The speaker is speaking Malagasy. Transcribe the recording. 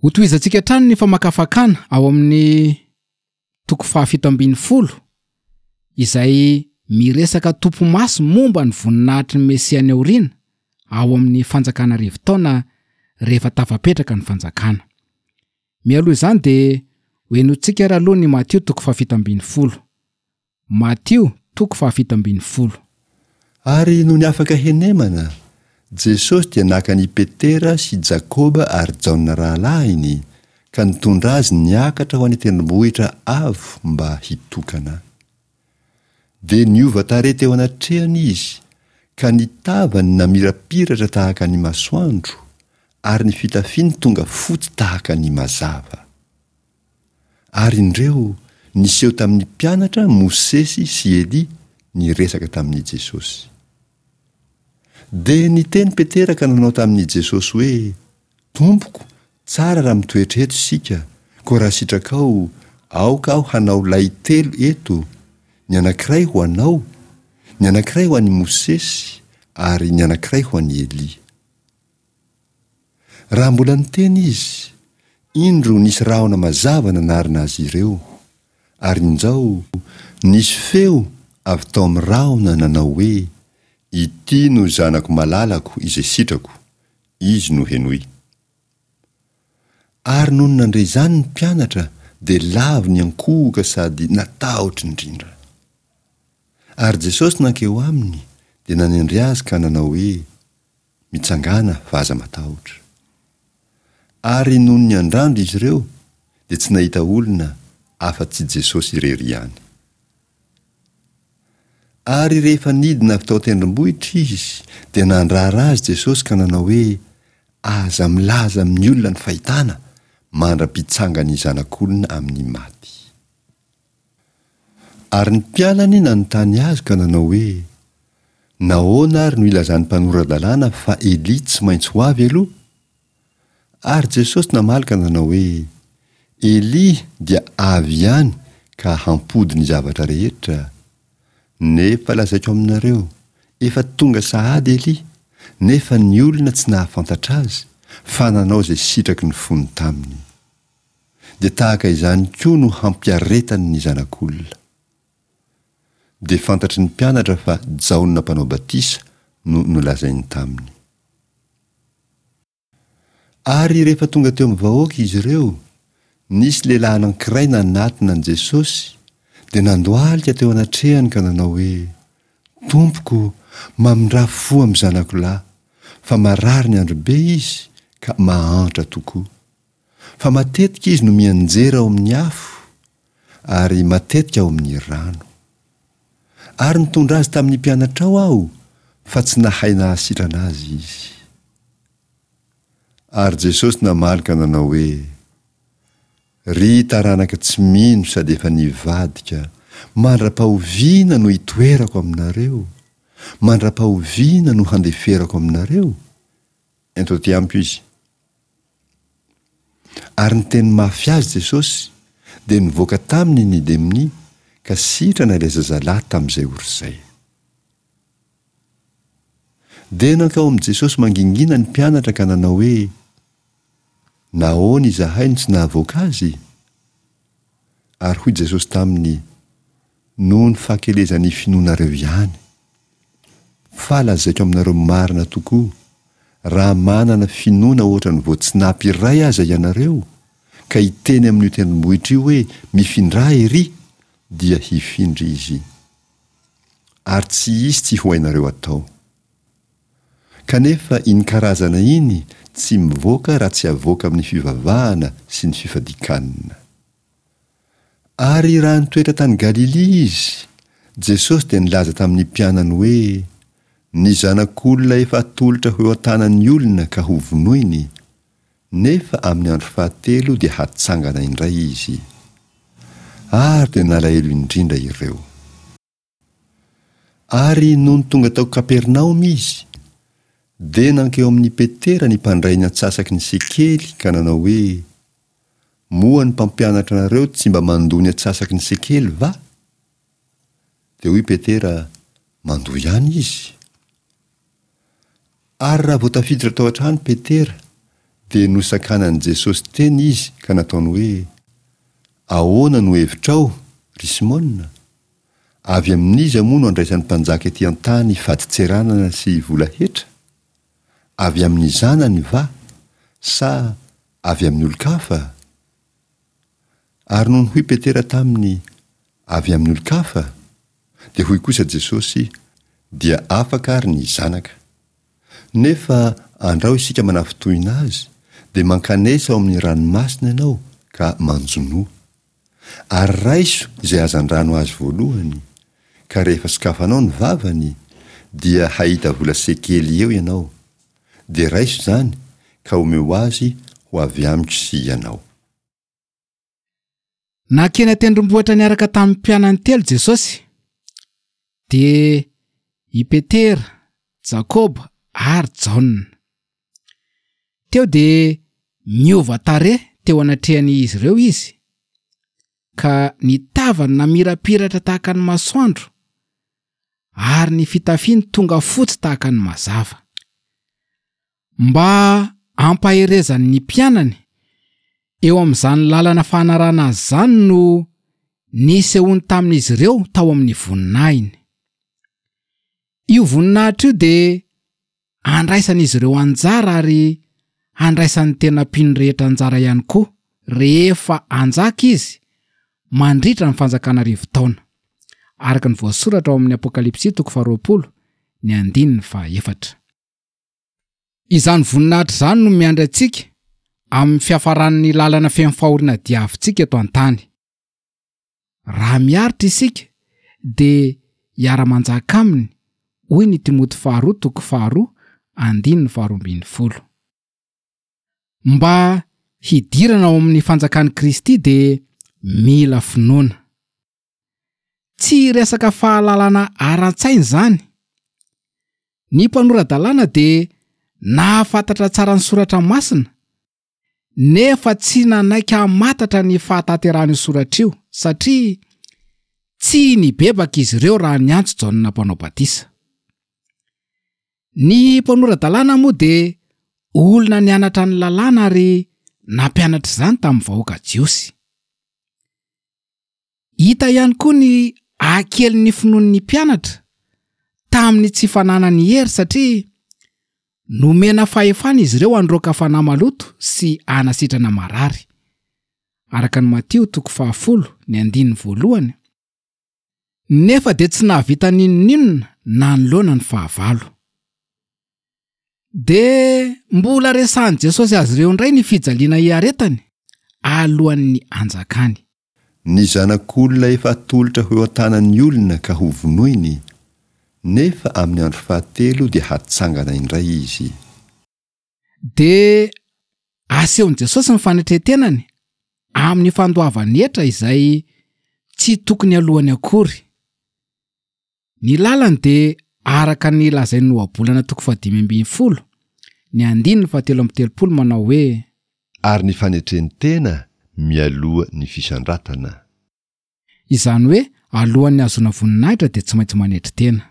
Hotohizantsika hatrany ny famakafakana ao amin'ny toko fahafito ambinifolo izay miresaka topimaso momba ny voninahitry ny Mesia any aoriana ao amin'ny Fanjakana Arivotaona rehefa tafapetraka ny Fanjakana. Mialoha izany dia hohenointsika ary aloha ny Matio toko fahafito ambinifolo. Matio toko fahafito ambinifolo. Ary nony afaka henemana, Jesosy dia naka an' i Petera sy Jakoba ary Jaona rahalahiny ka nitondra azy niakatra ho any an-tendrombohitra avo mba hitokana. Dia niova tarehy teo anatrehany izy, ka ny tavany namirapiratra tahaka ny masoandro, ary ny fitafiany tonga fotsy tahaka ny mazava. Ary indreo, niseho tamin'ny mpianatra Mosesy sy Elia niresaka tamin'i Jesosy. Dia niteny Petera ka nanao tamin'i Jesosy hoe, Tompoko, tsara raha mitoetra eto isika, koa raha sitrakao, aoka aho hanao lay telo eto, ny anankiray ho anao, ny anankiray ho an'i Mosesy, ary ny anankiray ho an'i Elia. Raha mbola niteny izy, indro nisy rahona mazava nanarona azy ireo, ary injao, nisy feo avy tao amin'ny rahona nanao hoe, Ity no Zanako malalako izay sitrako, Izy no henoy. Ary nony nandre izany ny mpianatra dia lavo niankohoka sady natahotra indrindra. Ary Jesosy nankeo aminy dia nanendry azy ka nanao hoe, Mitsangàna fa aza matahotra. Ary nony niandrandra izy ireo dia tsy nahita olona afa-tsy Jesosy irery ihany. Ary rehefa nidina avy tao an-tendrombohitra izy dia nandrara azy Jesosy ka nanao hoe, Aza milaza amin'ny olona ny fahitana mandra-pitsangan'ny Zanak'olona amin'ny maty. Ary ny mpianany nanontany azy ka nanao hoe, Nahoana ary no ilazan'ny mpanora-dalàna fa Elia tsy maintsy ho avy aloha? Ary Jesosy namaly ka nanao hoe, Elia dia avy ihany ka hampody ny zavatra rehetra. Nefa lazaiko aminareo, efa tonga sahady Elia, nefa ny olona tsy nahafantatra azy, fa nanao izay sitraky ny fony taminy. Dia tahaka izany koa no hampiaretany ny Zanak'olona. Dia fantatry ny mpianatra fa Jaona Mpanao Batisa no nolazainy taminy. Ary rehefa tonga teo amin'ny vahoaka izy ireo, nisy lehilahy anankiray nanatona an'i Jesosy, dia nandohalika teo anatrehany ka nanao hoe, Tompoko, mamindrà fo amin'ny zanako lahy, fa marary ny andro be izy ka mahantra tokoa. Fa matetika izy no mianjera ao amin'ny afo, ary matetika ao amin'ny rano. Ary nitondra azy tamin'ny mpianatrao aho, fa tsy nahay nahasitrana azy izy. Ary Jesosy namaly ka nanao hoe, Ry taranaka tsy mino sady efa nivadika, mandra-pahoviana no hitoerako aminareo? Mandra-pahoviana no handeferako aminareo? Ento aty amiko izy. Ary niteny mafy azy Jesosy, dia nivoaka taminy ny demonia, ka sitrana ilay zazalahy tamin'izay ora izay. Dia nankao amin'i Jesosy mangingina ny mpianatra ka nanao hoe, Nahoana izahay no tsy nahavoaka azy? Ary hoy Jesosy taminy, Noho ny fahakelezan'ny finoanareo ihany. Fa lazaiko aminareo marina tokoa, raha manana finoana hoatran'ny voatsinapy iray aza ianareo, ka hiteny amin'io tendrombohitra io hoe, 'Mifindrà erỳ', dia hifindra izy. Ary tsy hisy tsy ho hainareo atao. Kanefa iny karazana iny tsy mivoaka raha tsy avoaka amin'ny fivavahana sy ny fifadian-kanina. Ary raha nitoetra tany Galilia Izy, Jesosy dia nilaza tamin'ny mpianany hoe, Ny Zanak'olona efa atolotra ho eo an-tanan'ny olona ka hovonoiny, nefa amin'ny andro fahatelo dia hatsangana indray Izy. Ary dia nalahelo indrindra ireo. Ary nony tonga tao Kapernaomy Izy, dia nankeo amin'i Petera ny mpandray ny antsasaky ny sekely ka nanao hoe, Moa ny mpampianatra anareo tsy mba mandoa ny atsasaky ny sekely va? Dia hoy Petera, Mandoa ihany izy. Ary raha vao tafiditra tao an-trano Petera, Dia nosakanan'i Jesosy teny izy ka nataony hoe, Ahoana no hevitrao, ry Simona? Avy amin'iza moa no andraisan'ny mpanjaka ety an-tany fadintseranana sy vola hetra? Avy amin'ny zanany va, sa avy amin'ny olon-kafa? Ary nony hoy Petera taminy, Avy amin'ny olon-kafa? Dia hoy kosa Jesosy, Dia afaka ary ny zanaka. Nefa andrao isika manafintohina azy, dia mankanesa ao amin'ny ranomasina ianao ka manjonoa. Ary raiso izay hazandrano azy voalohany, ka rehefa sokafanao ny vavany, dia hahita vola sekely eo ianao. Dia raiso izany ka omeo azy ho avy amiko sy ianao. Nankeny an-tendrombohitra niaraka tamin'ny mpianany telo Jesosy, dia i Petera, Jakoba ary Jaona. Teo dia niova tarehy teo anatrehan'izy ireo izy, ka ny tavany namirapiratra tahaka ny masoandro, ary ny fitafiany tonga fotsy tahaka ny mazava. Mba hampaherezany ny mpianany eo amin'izany lalana fanarahana azy izany no nisehoany tamin'izy ireo tao amin'ny voninahiny. Io voninahitra io dia handraisan'izy ireo anjara ary handraisan'ny tena mpino rehetra anjara ihany koa rehefa hanjaka izy mandritra ny fanjakana arivotaona, araka ny voasoratra ao amin'ny Apokalypsy toko faharoapolo ny andininy fahaefatra. Izany voninahitra izany no miandry antsika amin'ny fiafaran'ny lalana feno fahoriana diavintsika eto an-tany. Raha miaritra isika dia hiara-manjaka aminy, hoy ny Timoty faharoa toko faharoa andininy faharoa ambin'ny folo. Mba hidirana ao amin'ny fanjakan'i Kristy dia mila finoana. Tsy resaka fahalalana ara-tsaina izany. Ny mpanora-dalàna dia nahafantatra tsara ny soratra masina, nefa tsy nanaiky hamatatra ny fahatanterahan'io soratra io, satria tsy nibebaka izy ireo raha niantso Jaona Mpanao Batisa. Ny mpanora-dalàna moa dia olona nianatra ny lalàna ary nampianatra izany tamin'ny vahoaka jiosy. Hita ihany koa ny hakelin'ny finoan'ny mpianatra tamin'ny tsy fananany hery satria nomena fahefana izy ireo handroaka fanahy maloto sy hanasitrana marary. Araka ny Matio toko fahafolo ny andininy voalohany. Nefa dia tsy nahavita n'inon'inona nanoloana ny fahavalo. Dia mbola resahin'i Jesosy azy ireo indray ny fijaliana hiaretany alohan'ny hanjakany. Ny Zanak'olona efa atolotra ho eo an-tanan'ny olona ka hovonoiny, nefa amin'ny andro fahatelo dia hatsangana indray izy. Dia asehon'i Jesosy ny fanetren-tenany amin'ny fandoavany hetra izay tsy tokony aloany akory. Ny lalany dia araka ny lazain'ny Ohabolana toko fahadimy ambin'ny folo, ny andininy fahatelo amby telopolo manao hoe. Ary ny fanetren-tena mialoha ny fisandratana. Izany hoe alohan'ny hahazoana voninahitra dia tsy maintsy manetry tena.